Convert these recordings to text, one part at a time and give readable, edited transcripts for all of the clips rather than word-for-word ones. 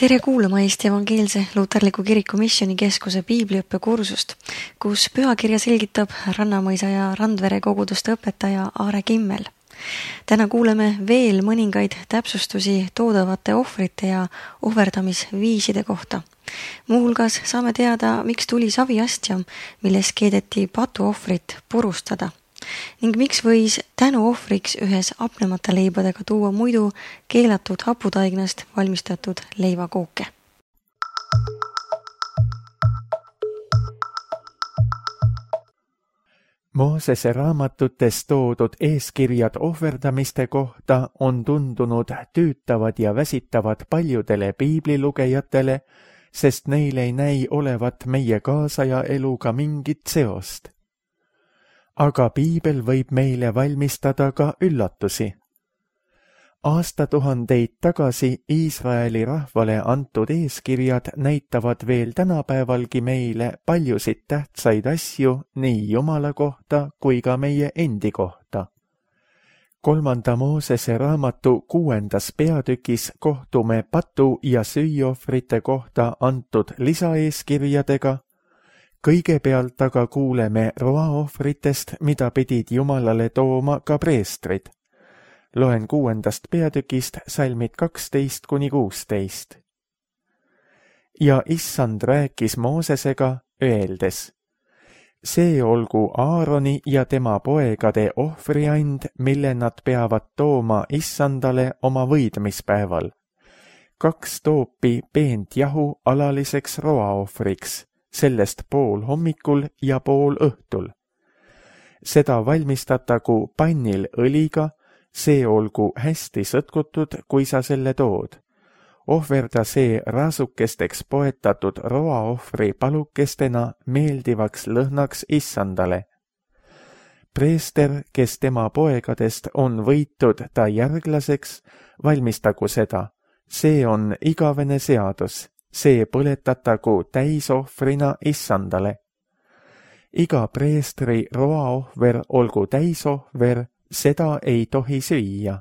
Tere kuulama Eesti Evangeelse Luterliku Kiriku Missioonikeskuse piibliõppekursust, kus pühakirja selgitab Rannamõisa ja Randvere koguduste õpetaja Aare Kimmel. Täna kuuleme veel mõningaid täpsustusi toodavate ohvrite ja ohverdamisviiside kohta. Muuhulgas saame teada, miks tuli saviastja, milles keedeti patuohvrit purustada. Ning miks võis tänuohvriks ühes apnemata leibadega tuua muidu keelatud haputaignast valmistatud leivakooke. Moosese raamatutes toodud eeskirjad ohverdamiste kohta on tundunud tüütavad ja väsitavad paljudele piiblilugejatele, sest neil ei näi olevat meie kaasaja eluga mingit seost. Aga piibel võib meile valmistada ka üllatusi. Aastatuhandeid tagasi Iisraeli rahvale antud eeskirjad näitavad veel tänapäevalgi meile paljusid tähtsaid asju nii Jumala kohta kui ka meie endi kohta. 3. Moosese raamatu 6. peatükis kohtume patu- ja süüohvrite kohta antud lisaeeskirjadega. Kõigepealt aga kuuleme roaohvritest, mida pidid Jumalale tooma ka preestrid. Loen 6. peatükist salmid 12-16. Ja issand rääkis Moosesega, öeldes: see olgu Aaroni ja tema poegade ohvriand, mille nad peavad tooma issandale oma võidmispäeval. 2 toopi peent jahu alaliseks roaohvriks, sellest pool hommikul ja pool õhtul. Seda valmistatagu pannil õliga, see olgu hästi sõtkutud, kui sa selle tood. Ohverda see raasukesteks poetatud roaohvri palukestena meeldivaks lõhnaks issandale. Preester, kes tema poegadest on võitud ta järglaseks, valmistagu seda. See on igavene seadus. See põletatagu täisohvrina issandale. Iga preestri roaohver olgu täisohver, seda ei tohi süüa.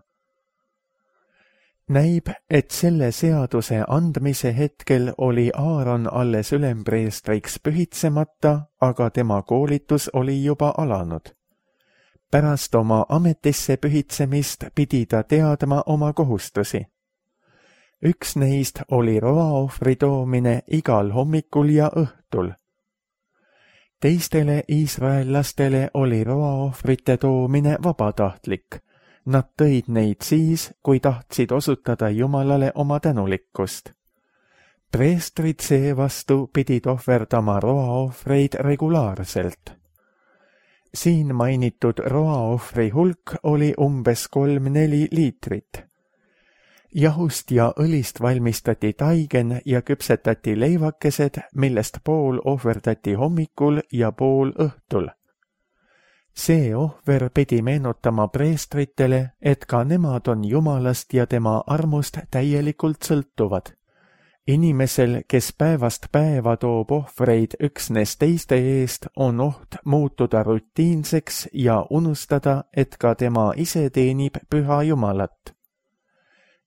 Näib, et selle seaduse andmise hetkel oli Aaron alles ülempreestriks pühitsemata, aga tema koolitus oli juba alanud. Pärast oma ametisse pühitsemist pidi ta teadma oma kohustusi. Üks neist oli roaohvri toomine igal hommikul ja õhtul. Teistele iisraellastele oli roaohvrite toomine vabatahtlik. Nad tõid neid siis, kui tahtsid osutada Jumalale oma tänulikkust. Preestrid seevastu pidid ohverdama roaohvreid regulaarselt. Siin mainitud roaohvri hulk oli umbes 3-4 liitrit. Jahust ja õlist valmistati taigen ja küpsetati leivakesed, millest pool ohverdati hommikul ja pool õhtul. See ohver pidi meenutama preestritele, et ka nemad on Jumalast ja tema armust täielikult sõltuvad. Inimesel, kes päevast päeva toob ohvreid üksnes teiste eest, on oht muutuda rutiinseks ja unustada, et ka tema ise teenib püha Jumalat.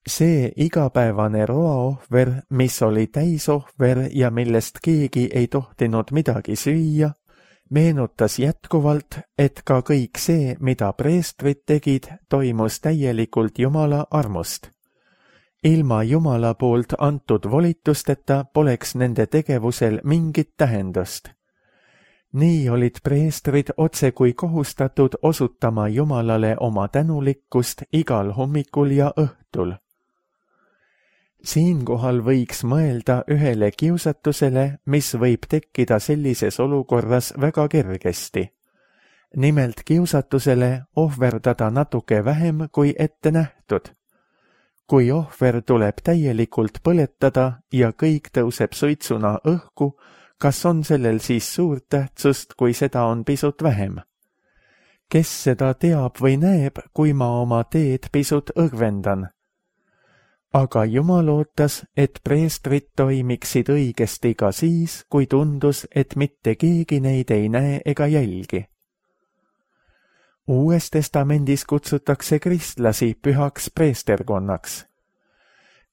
See igapäevane roaohver, mis oli täisohver ja millest keegi ei tohtinud midagi süüa, meenutas jätkuvalt, et ka kõik see, mida preestrid tegid, toimus täielikult Jumala armust. Ilma Jumala poolt antud volitusteta poleks nende tegevusel mingit tähendust. Nii olid preestrid otsekui kohustatud osutama Jumalale oma tänulikkust igal hommikul ja õhtul. Siinkohal võiks mõelda ühele kiusatusele, mis võib tekkida sellises olukorras väga kergesti. Nimelt kiusatusele ohverdada natuke vähem kui ette nähtud. Kui ohver tuleb täielikult põletada ja kõik tõuseb suitsuna õhku, kas on sellel siis suurt tähtsust, kui seda on pisut vähem? Kes seda teab või näeb, kui ma oma teed pisut õgvendan? Aga Jumal ootas, et preestrid toimiksid õigesti ka siis, kui tundus, et mitte keegi neid ei näe ega jälgi. Uues testamendis kutsutakse kristlasi pühaks preesterkonnaks.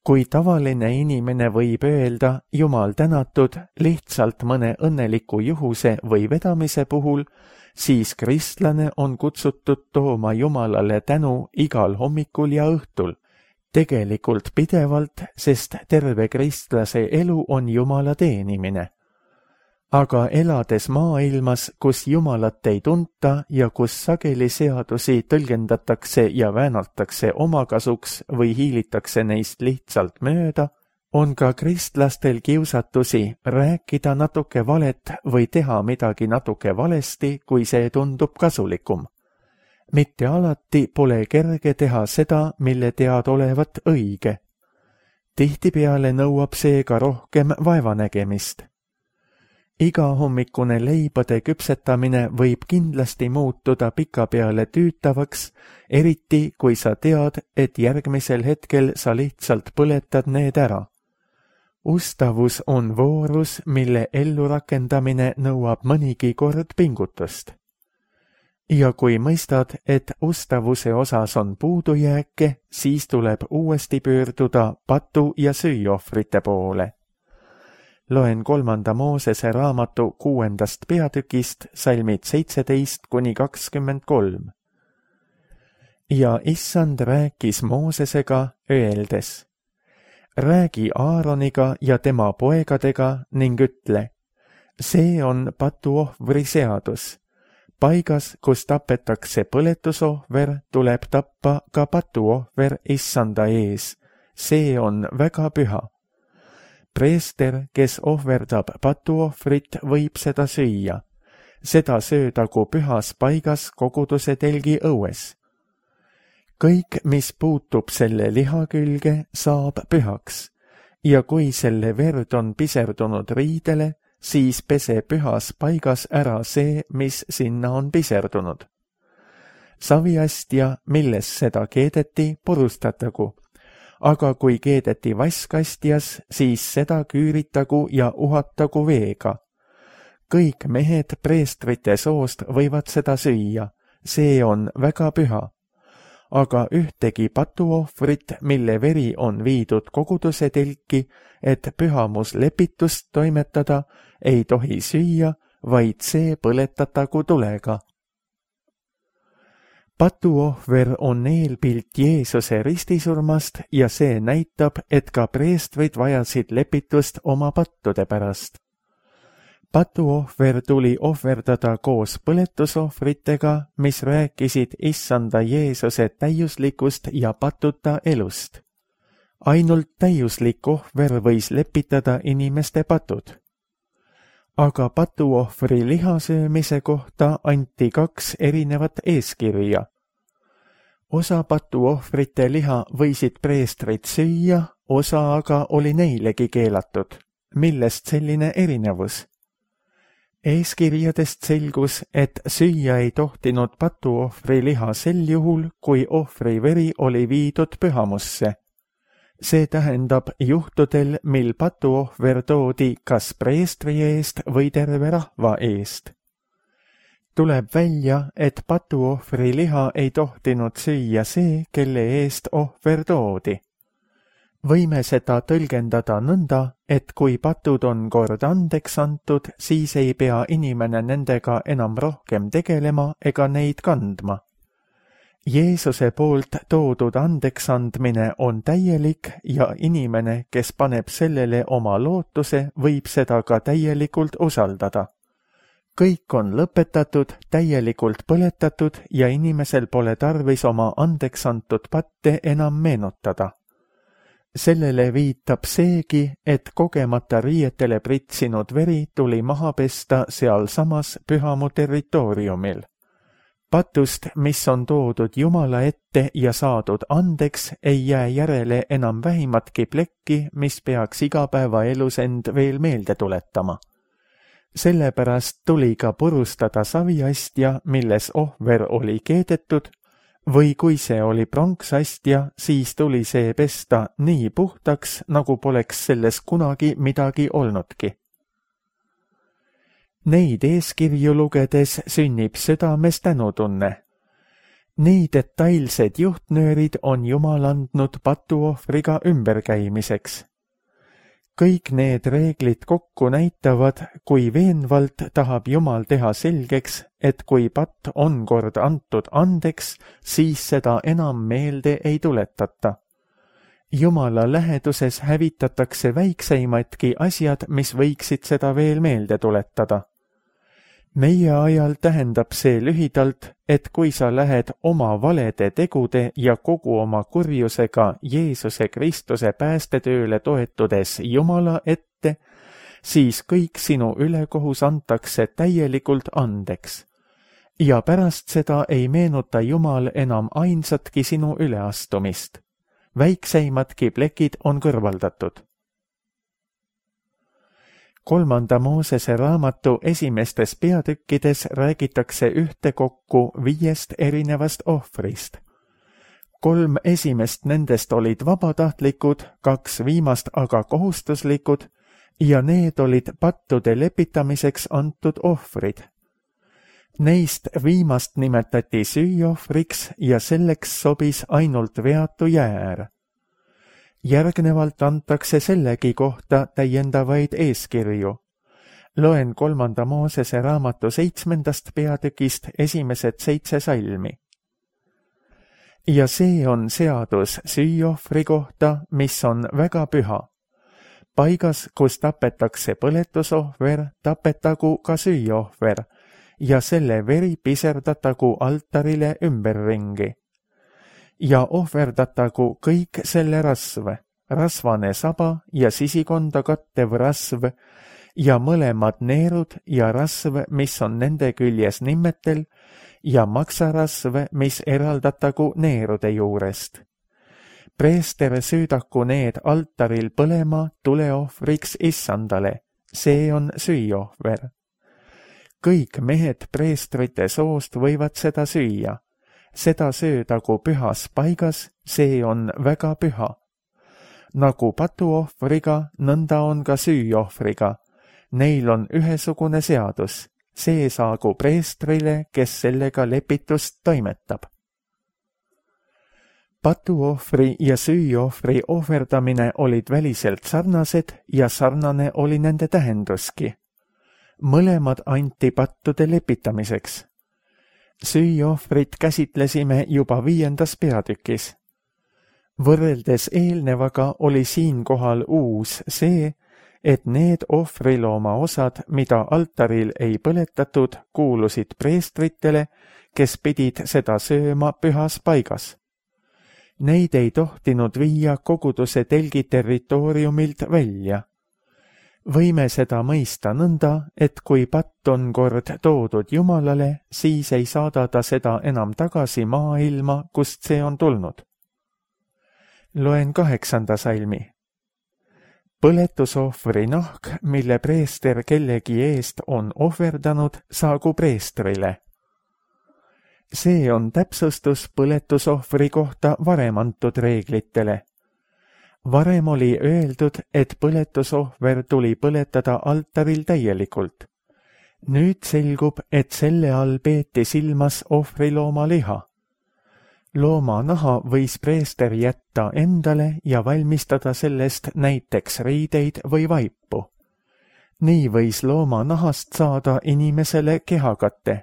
Kui tavaline inimene võib öelda Jumal tänatud lihtsalt mõne õnneliku juhuse või vedamise puhul, siis kristlane on kutsutud tooma Jumalale tänu igal hommikul ja õhtul. Tegelikult pidevalt, sest terve kristlase elu on Jumala teenimine. Aga elades maailmas, kus Jumalat ei tunta ja kus sageli seadusi tõlgendatakse ja väänatakse omakasuks või hiilitakse neist lihtsalt mööda, on ka kristlastel kiusatusi rääkida natuke valet või teha midagi natuke valesti, kui see tundub kasulikum. Mitte alati pole kerge teha seda, mille tead olevat õige. Tihtipeale nõuab seega rohkem vaevanägemist. Igahommikune leibade küpsetamine võib kindlasti muutuda pikapeale tüütavaks, eriti kui sa tead, et järgmisel hetkel sa lihtsalt põletad need ära. Ustavus on voorus, mille ellurakendamine nõuab mõnigi kord pingutust. Ja kui mõistad, et ustavuse osas on puudujääke, siis tuleb uuesti pöörduda patu- ja süüohvrite poole. Loen 3. Moosese raamatu 6. peatükist salmid 17–23. Ja Issand rääkis Moosesega, öeldes: räägi Aaroniga ja tema poegadega ning ütle: see on patuohvri seadus. Paigas, kus tapetakse põletusohver, tuleb tappa ka patuohver Issanda ees. See on väga püha. Preester, kes ohverdab patuohvrit, võib seda süüa. Seda söödagu pühas paigas koguduse telgi õues. Kõik, mis puutub selle liha külge, saab pühaks, ja kui selle verd on piserdunud riidele, siis pese pühas paigas ära see, mis sinna on piserdunud. Saviastja, milles seda keedeti, purustatagu, aga kui keedeti vasskastjas, siis seda küüritagu ja uhatagu veega. Kõik mehed preestrite soost võivad seda süüa, see on väga püha. Aga ühtegi patuohvrit, mille veri on viidud koguduse telki, et pühamuslepitust toimetada, ei tohi süüa, vaid see põletatagu tulega. Patuohver on eelpilt Jeesuse ristisurmast ja see näitab, et ka preestrid vajasid lepitust oma pattude pärast. Patuohver tuli ohverdada koos põletusohvritega, mis rääkisid Issanda Jeesuse täiuslikust ja patuta elust. Ainult täiuslik ohver võis lepitada inimeste patud. Aga patuohvri lihasöömise kohta anti 2 erinevat eeskirja. Osa patuohvrite liha võisid preestrid süüa, osa aga oli neilegi keelatud. Millest selline erinevus? Eeskirjadest selgus, et süüa ei tohtinud patuohvri liha sel juhul, kui ohvri veri oli viidud pühamusse. See tähendab juhtudel, mil patuohver toodi kas preestri eest või terve rahva eest. Tuleb välja, et patuohvri liha ei tohtinud süüa see, kelle eest ohver toodi. Võime seda tõlgendada nõnda, et kui patud on kord andeks antud, siis ei pea inimene nendega enam rohkem tegelema ega neid kandma. Jeesuse poolt toodud andeksandmine on täielik ja inimene, kes paneb sellele oma lootuse, võib seda ka täielikult usaldada. Kõik on lõpetatud, täielikult põletatud ja inimesel pole tarvis oma andeksantud patte enam meenutada. Sellele viitab seegi, et kogemata riietele pritsinud veri tuli maha pesta sealsamas pühamu territooriumil. Patust, mis on toodud Jumala ette ja saadud andeks, ei jää järele enam vähimatki plekki, mis peaks igapäevaelus end veel meelde tuletama. Sellepärast tuli ka purustada saviastja, milles ohver oli keedetud, või kui see oli pronksastja, siis tuli see pesta nii puhtaks, nagu poleks selles kunagi midagi olnudki. Neid eeskirju lugedes sünnib südames tänutunne. Nii detailsed juhtnöörid on Jumal andnud patuohvriga ümberkäimiseks. Kõik need reeglid kokku näitavad, kui veenvalt tahab Jumal teha selgeks, et kui patt on kord antud andeks, siis seda enam meelde ei tuletata. Jumala läheduses hävitatakse väikseimadki asjad, mis võiksid seda veel meelde tuletada. Meie ajal tähendab see lühidalt, et kui sa lähed oma valede tegude ja kogu oma kurjusega Jeesuse Kristuse päästetööle toetudes Jumala ette, siis kõik sinu ülekohus antakse täielikult andeks. Ja pärast seda ei meenuta Jumal enam ainsatki sinu üleastumist. Väikseimadki plekid on kõrvaldatud. 3. Moosese raamatu esimestes peatükkides räägitakse ühtekokku 5 erinevast ohvrist. 3 esimest nendest olid vabatahtlikud, 2 viimast aga kohustuslikud ja need olid pattude lepitamiseks antud ohvrid. Neist viimast nimetati süüohvriks ja selleks sobis ainult veatu jäär. Järgnevalt antakse sellegi kohta täiendavaid eeskirju. Loen 3. Moosese raamatu 7. peatükist esimesed 7 salmi. Ja see on seadus süüohvri kohta, mis on väga püha. Paigas, kus tapetakse põletusohver, tapetagu ka süüohver ja selle veri piserdatagu altarile ümberringi. Ja ohverdatagu kõik selle rasv, rasvane saba ja sisikonda kattev rasv ja mõlemad neerud ja rasv, mis on nende küljes nimmetel ja maksarasv, mis eraldatagu neerude juurest. Preester süüdaku need altaril põlema tuleohvriks issandale, see on süüohver. Kõik mehed preestrite soost võivad seda süüa. Seda söödagu pühas paigas, see on väga püha. Nagu patuohvriga, nõnda on ka süüohvriga. Neil on ühesugune seadus. See saagu preestrile, kes sellega lepitust toimetab. Patuohvri ja süüohvri ohverdamine olid väliselt sarnased ja sarnane oli nende tähenduski. Mõlemad anti pattude lepitamiseks. Süüohvrit käsitlesime juba 5. peatükis. Võrreldes eelnevaga oli siinkohal uus see, et need ohvrilooma osad, mida altaril ei põletatud, kuulusid preestritele, kes pidid seda sööma pühas paigas. Neid ei tohtinud viia koguduse telgi territooriumilt välja. Võime seda mõista nõnda, et kui patt on kord toodud Jumalale, siis ei saada ta seda enam tagasi maailma, kust see on tulnud. Loen 8. salmi. Põletusohvri nahk, mille preester kellegi eest on ohverdanud, saagu preestrile. See on täpsustus põletusohvri kohta varem antud reeglitele. Varem oli öeldud, et põletusohver tuli põletada altaril täielikult. Nüüd selgub, et selle all peeti silmas ohvrilooma liha. Looma naha võis preester jätta endale ja valmistada sellest näiteks riideid või vaipu. Nii võis looma nahast saada inimesele kehakatte.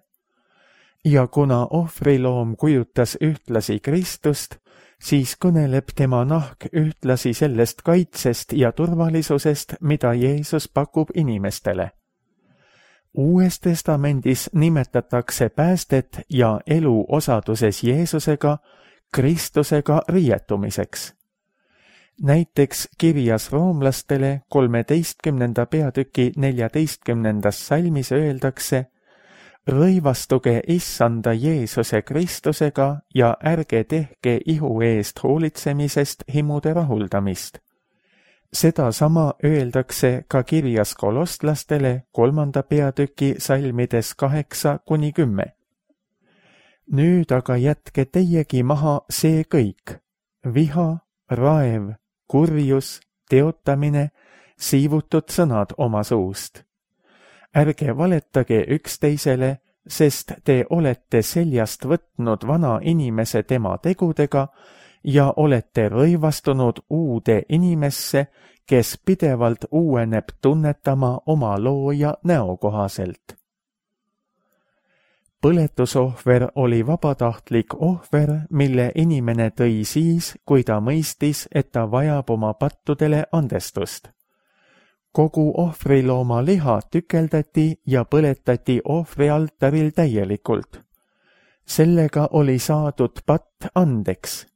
Ja kuna ohvriloom kujutas ühtlasi Kristust, siis kõneleb tema nahk ühtlasi sellest kaitsest ja turvalisusest, mida Jeesus pakub inimestele. Uues testamendis nimetatakse päästet ja elu osaduses Jeesusega, Kristusega riietumiseks. Näiteks kirjas roomlastele 13. peatüki 14. salmis öeldakse: rõivastuge issanda Jeesuse Kristusega ja ärge tehke ihu eest hoolitsemisest himude rahuldamist. Sedasama öeldakse ka kirjas kolostlastele 3. peatüki salmides 8-10. Nüüd aga jätke teiegi maha see kõik: viha, raev, kurjus, teotamine, siivutud sõnad oma suust. Ärge valetage üksteisele, sest te olete seljast võtnud vana inimese tema tegudega ja olete rõivastunud uude inimesse, kes pidevalt uueneb tunnetama oma looja näo kohaselt. Põletusohver oli vabatahtlik ohver, mille inimene tõi siis, kui ta mõistis, et ta vajab oma pattudele andestust. Kogu ohvrilooma liha tükeldati ja põletati ohvrialtaril täielikult. Sellega oli saadud patt andeks.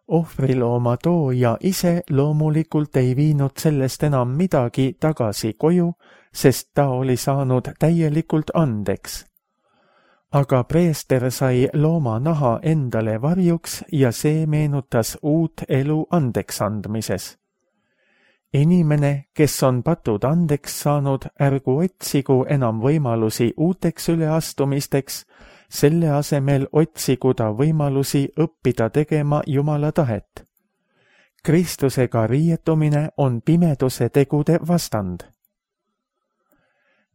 Ohvrilooma tooja ise loomulikult ei viinud sellest enam midagi tagasi koju, sest ta oli saanud täielikult andeks. Aga preester sai looma naha endale varjuks ja see meenutas uut elu andeks andmises. Inimene, kes on patud andeks saanud, ärgu otsigu enam võimalusi uuteks üleastumisteks, selle asemel otsigu ta võimalusi õppida tegema Jumala tahet. Kristusega riietumine on pimeduse tegude vastand.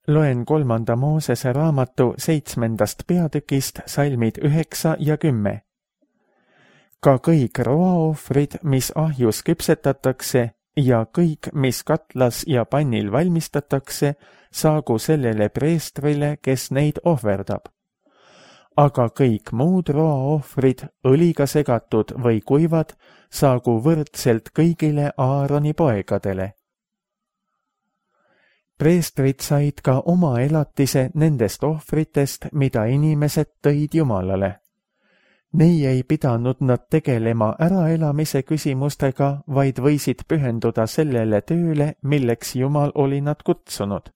Loen 3. Moosese raamatu 7. peatükist salmid 9 ja 10. Ka kõik roaohvrid, mis ahjus küpsetatakse, ja kõik, mis katlas ja pannil valmistatakse, saagu sellele preestrile, kes neid ohverdab. Aga kõik muud roaohvrid, õliga segatud või kuivad, saagu võrdselt kõigile Aaroni poegadele. Preestrid said ka oma elatise nendest ohvritest, mida inimesed tõid Jumalale. Nii ei pidanud nad tegelema äraelamise küsimustega, vaid võisid pühenduda sellele tööle, milleks Jumal oli nad kutsunud.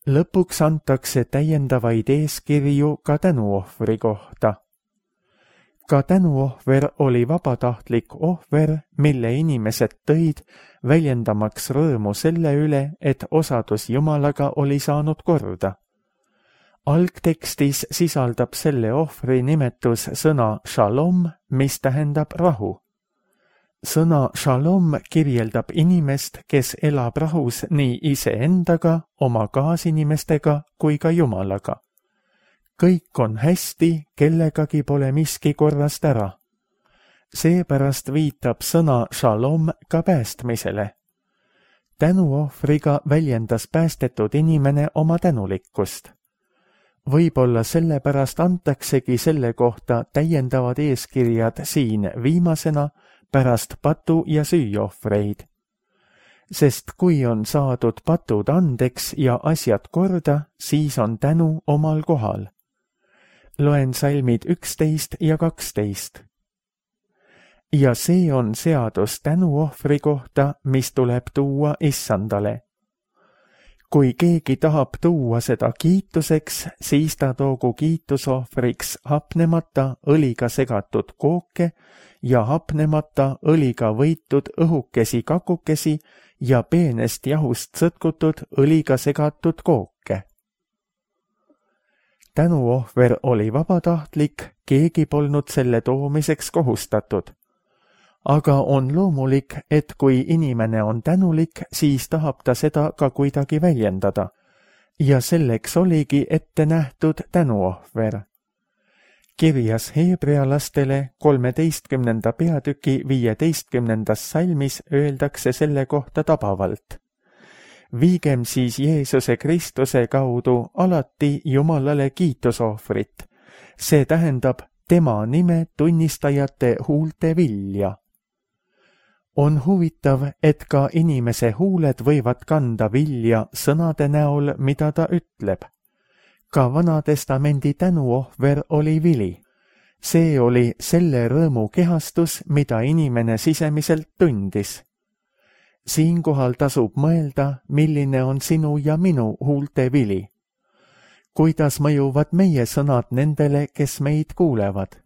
Lõpuks antakse täiendavaid eeskirju ka tänuohvri kohta. Ka tänuohver oli vabatahtlik ohver, mille inimesed tõid, väljendamaks rõõmu selle üle, et osadus Jumalaga oli saanud korda. Algtekstis sisaldab selle ohvri nimetus sõna shalom, mis tähendab rahu. Sõna shalom kirjeldab inimest, kes elab rahus nii iseendaga, oma kaasinimestega kui ka Jumalaga. Kõik on hästi, kellegagi pole miski korrast ära. Seepärast viitab sõna shalom ka päästmisele. Tänuohvriga väljendas päästetud inimene oma tänulikkust. Võib-olla sellepärast antaksegi selle kohta täiendavad eeskirjad siin viimasena pärast patu- ja süüohvreid. Sest kui on saadud patud andeks ja asjad korda, siis on tänu omal kohal. Loen salmid 11 ja 12. Ja see on seadus tänuohvri kohta, mis tuleb tuua issandale. Kui keegi tahab tuua seda kiituseks, siis ta toogu kiitusohvriks hapnemata õliga segatud kooke ja hapnemata õliga võitud õhukesi kakukesi ja peenest jahust sõtkutud õliga segatud kooke. Tänuohver oli vabatahtlik, keegi polnud selle toomiseks kohustatud. Aga on loomulik, et kui inimene on tänulik, siis tahab ta seda ka kuidagi väljendada. Ja selleks oligi ette nähtud tänuohver. Kirjas heebrealastele 13. peatüki 15. salmis öeldakse selle kohta tabavalt. Viigem siis Jeesuse Kristuse kaudu alati Jumalale kiitusohvrit. See tähendab tema nime tunnistajate huulte vilja. On huvitav, et ka inimese huuled võivad kanda vilja sõnade näol, mida ta ütleb. Ka Vanatestamendi tänuohver oli vili. See oli selle rõõmu kehastus, mida inimene sisemiselt tundis. Siinkohal tasub mõelda, milline on sinu ja minu huulte vili. Kuidas mõjuvad meie sõnad nendele, kes meid kuulevad?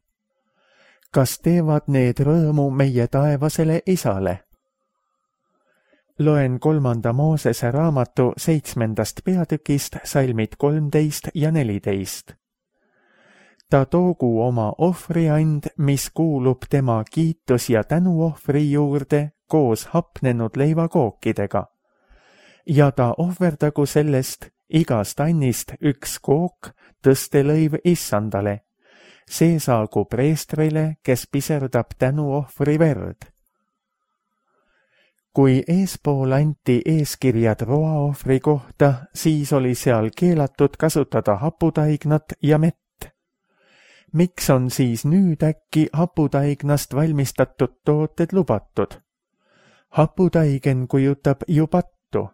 Kas teevad need rõõmu meie taevasele isale? Loen 3. Moosese raamatu 7. peatükist salmid 13 ja 14. Ta toogu oma ohvriand, mis kuulub tema kiitus- ja tänuohvri juurde koos hapnenud leivakookidega. Ja ta ohverdagu sellest igast annist üks kook tõstelõiv issandale. See saagu preestrile, kes piserdab tänuohvri verd. Kui eespool anti eeskirjad roaohvri kohta, siis oli seal keelatud kasutada haputaignat ja mett. Miks on siis nüüd äkki haputaignast valmistatud tooted lubatud? Haputaigen kujutab ju pattu.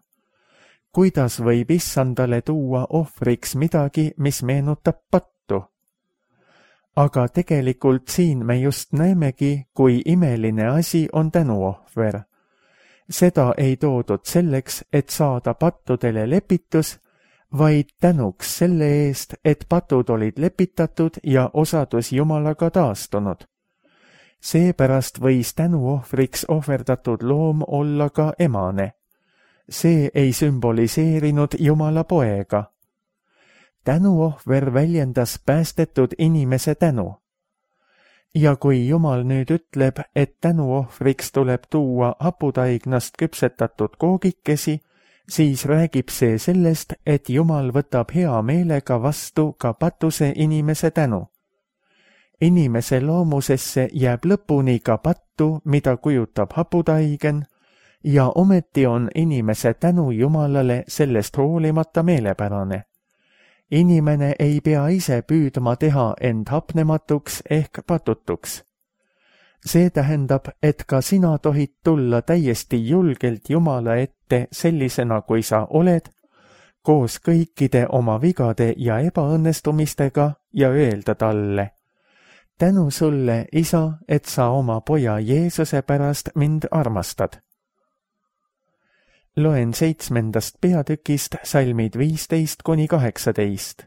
Kuidas võib issandale tuua ohvriks midagi, mis meenutab pattu? Aga tegelikult siin me just näemegi, kui imeline asi on tänuohver. Seda ei toodud selleks, et saada pattudele lepitus, vaid tänuks selle eest, et patud olid lepitatud ja osadus Jumalaga taastunud. Seepärast võis tänuohvriks ohverdatud loom olla ka emane. See ei sümboliseerinud Jumala poega. Tänuohver väljendas päästetud inimese tänu. Ja kui Jumal nüüd ütleb, et tänuohvriks tuleb tuua haputaignast küpsetatud koogikesi, siis räägib see sellest, et Jumal võtab hea meelega vastu ka patuse inimese tänu. Inimese loomusesse jääb lõpuni ka pattu, mida kujutab haputaigen, ja ometi on inimese tänu Jumalale sellest hoolimata meelepärane. Inimene ei pea ise püüdma teha end hapnematuks ehk patutuks. See tähendab, et ka sina tohid tulla täiesti julgelt Jumala ette sellisena, kui sa oled, koos kõikide oma vigade ja ebaõnnestumistega ja öelda talle: tänu sulle, Isa, et sa oma poja Jeesuse pärast mind armastad. Loen 7. peatükist salmid 15–18.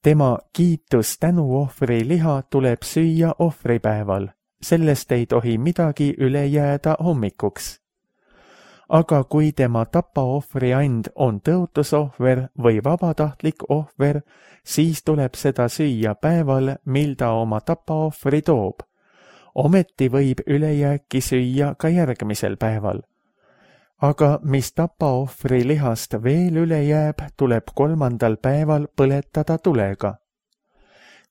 Tema kiitus tänuohvri liha tuleb süüa ohvripäeval, sellest ei tohi midagi üle jääda hommikuks. Aga kui tema tapaohvri and on tõotusohver või vabatahtlik ohver, siis tuleb seda süüa päeval, mil ta oma tapaohvri toob. Ometi võib ülejääki süüa ka järgmisel päeval. Aga mis tapaohvri lihast veel üle jääb, tuleb 3. päeval põletada tulega.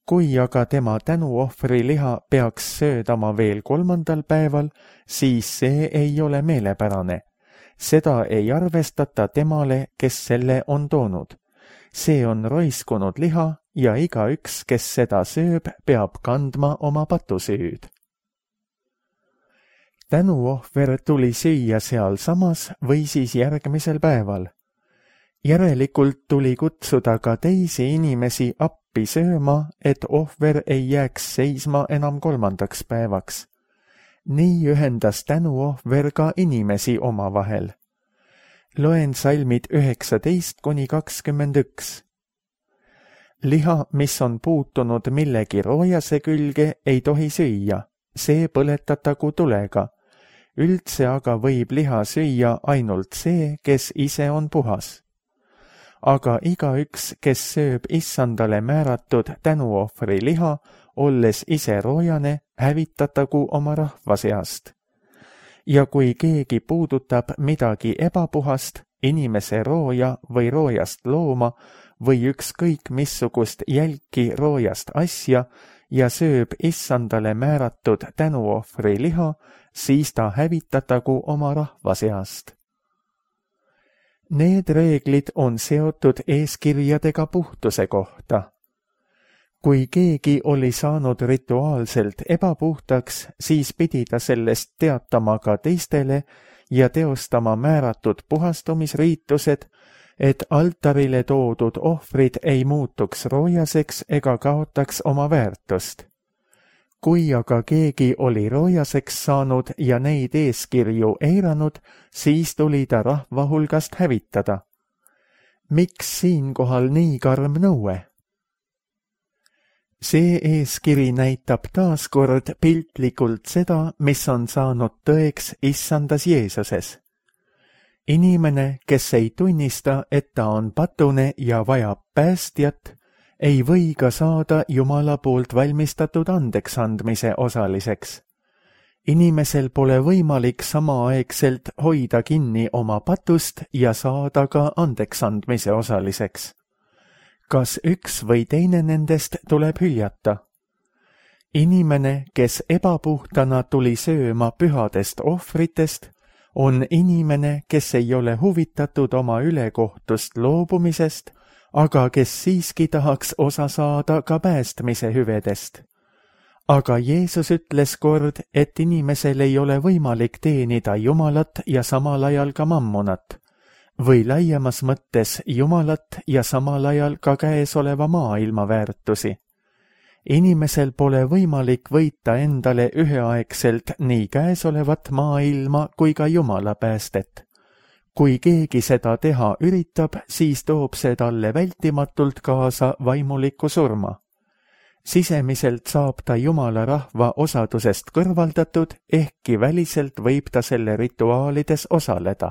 Kui aga tema tänuohvri liha peaks söödama veel 3. päeval, siis see ei ole meelepärane. Seda ei arvestata temale, kes selle on toonud. See on roiskunud liha ja igaüks, kes seda sööb, peab kandma oma patusüüd. Tänuohver tuli süüa sealsamas või siis järgmisel päeval. Järelikult tuli kutsuda ka teisi inimesi appi sööma, et ohver ei jääks seisma enam 3. päevaks. Nii ühendas tänuohver ka inimesi omavahel. Loen salmid 19–21. Liha, mis on puutunud millegi roojase külge, ei tohi süüa, see põletatagu tulega. Üldse aga võib liha süüa ainult see, kes ise on puhas. Aga igaüks, kes sööb issandale määratud tänuohvri liha, olles ise roojane, hävitatagu oma rahva seast. Ja kui keegi puudutab midagi ebapuhast, inimese rooja või roojast looma või ükskõik missugust jälki roojast asja ja sööb issandale määratud tänuohvri liha, siis ta hävitatagu oma rahva seast. Need reeglid on seotud eeskirjadega puhtuse kohta. Kui keegi oli saanud rituaalselt ebapuhtaks, siis pidi ta sellest teatama ka teistele ja teostama määratud puhastumisriitused, et altarile toodud ohvrid ei muutuks roojaseks ega kaotaks oma väärtust. Kui aga keegi oli roojaseks saanud ja neid eeskirju eiranud, siis tuli ta rahva hulgast hävitada. Miks siinkohal nii karm nõue? See eeskiri näitab taaskord piltlikult seda, mis on saanud tõeks issandas Jeesuses. Inimene, kes ei tunnista, et ta on patune ja vajab päästjat, ei või ka saada Jumala poolt valmistatud andeksandmise osaliseks. Inimesel pole võimalik samaaegselt hoida kinni oma patust ja saada ka andeksandmise osaliseks. Kas üks või teine nendest tuleb hüljata? Inimene, kes ebapuhtana tuli sööma pühadest ohvritest, on inimene, kes ei ole huvitatud oma ülekohtust loobumisest, aga kes siiski tahaks osa saada ka päästmise hüvedest. Aga Jeesus ütles kord, et inimesel ei ole võimalik teenida Jumalat ja samal ajal ka mammonat, või laiemas mõttes Jumalat ja samal ajal ka käesoleva maailma väärtusi. Inimesel pole võimalik võita endale üheaegselt nii käesolevat maailma kui ka Jumala päästet. Kui keegi seda teha üritab, siis toob see talle vältimatult kaasa vaimuliku surma. Sisemiselt saab ta Jumala rahva osadusest kõrvaldatud, ehkki väliselt võib ta selle rituaalides osaleda.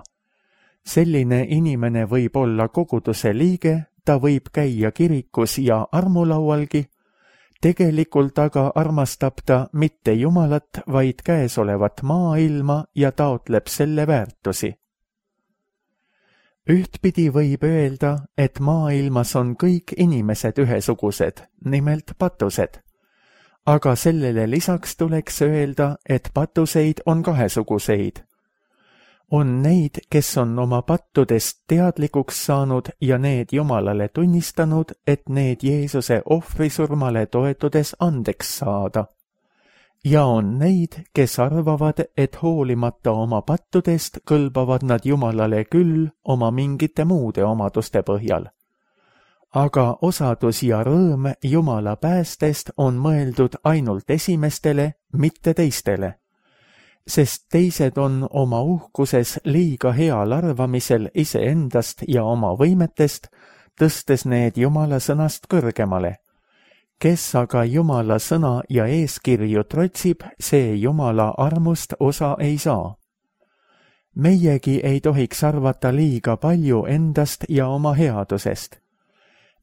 Selline inimene võib olla koguduse liige, ta võib käia kirikus ja armulaualgi, tegelikult aga armastab ta mitte Jumalat, vaid käesolevat maailma ja taotleb selle väärtusi. Ühtpidi võib öelda, et maailmas on kõik inimesed ühesugused, nimelt patused. Aga sellele lisaks tuleks öelda, et patuseid on kahesuguseid. On neid, kes on oma pattudest teadlikuks saanud ja need Jumalale tunnistanud, et need Jeesuse ohvrisurmale toetudes andeks saada. Ja on neid, kes arvavad, et hoolimata oma pattudest kõlbavad nad Jumalale küll oma mingite muude omaduste põhjal. Aga osadus ja rõõm Jumala päästest on mõeldud ainult esimestele, mitte teistele. Sest teised on oma uhkuses liiga heal arvamisel iseendast ja oma võimetest, tõstes need Jumala sõnast kõrgemale. Kes aga Jumala sõna ja eeskirju trotsib, see Jumala armust osa ei saa. Meiegi ei tohiks arvata liiga palju endast ja oma headusest.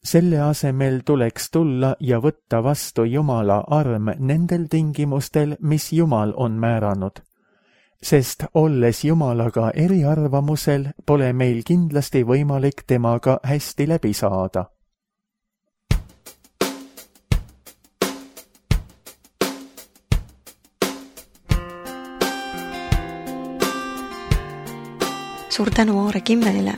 Selle asemel tuleks tulla ja võtta vastu Jumala arm nendel tingimustel, mis Jumal on määranud. Sest olles Jumalaga eriarvamusel, pole meil kindlasti võimalik temaga hästi läbi saada. Suur tänu Aare Kimmelile.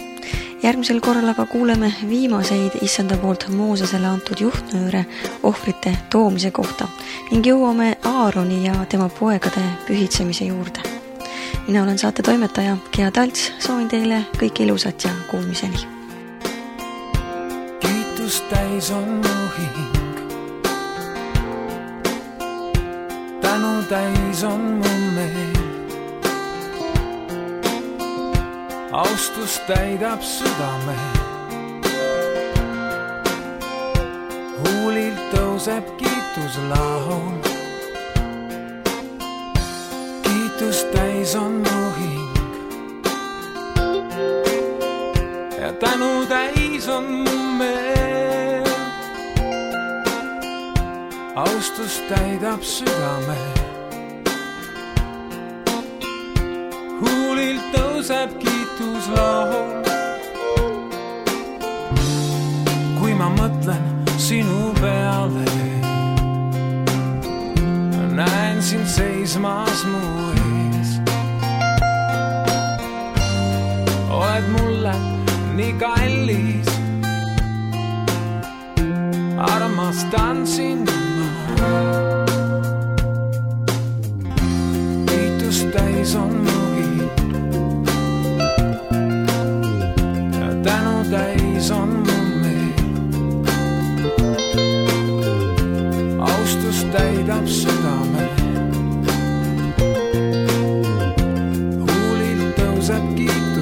Järgmisel korral aga kuuleme viimaseid issanda poolt Moosesele antud juhtnööre ohvrite toomise kohta ning jõuame Aaroni ja tema poegade pühitsemise juurde. Mina olen saate toimetaja Gea Talts, soovin teile kõike ilusat ja kuulmiseni. Kiitus täis on mu hing, tänu täis on mu meel. Austus täidab südame, huulilt tõuseb kiituslaul. Kiitus täis on mu hing ja tänu täis on mu meel. Austus täidab südame, huulilt tõuseb kiituslaul. Kui ma mõtlen sinu peale, näen sind seismas mu ees. Oled mulle nii kallis, armastan sind ma. Kiitus täis on mu hing ja tänu täis on mu meel. Austus täidab südame, huulilt tõuseb kiitus.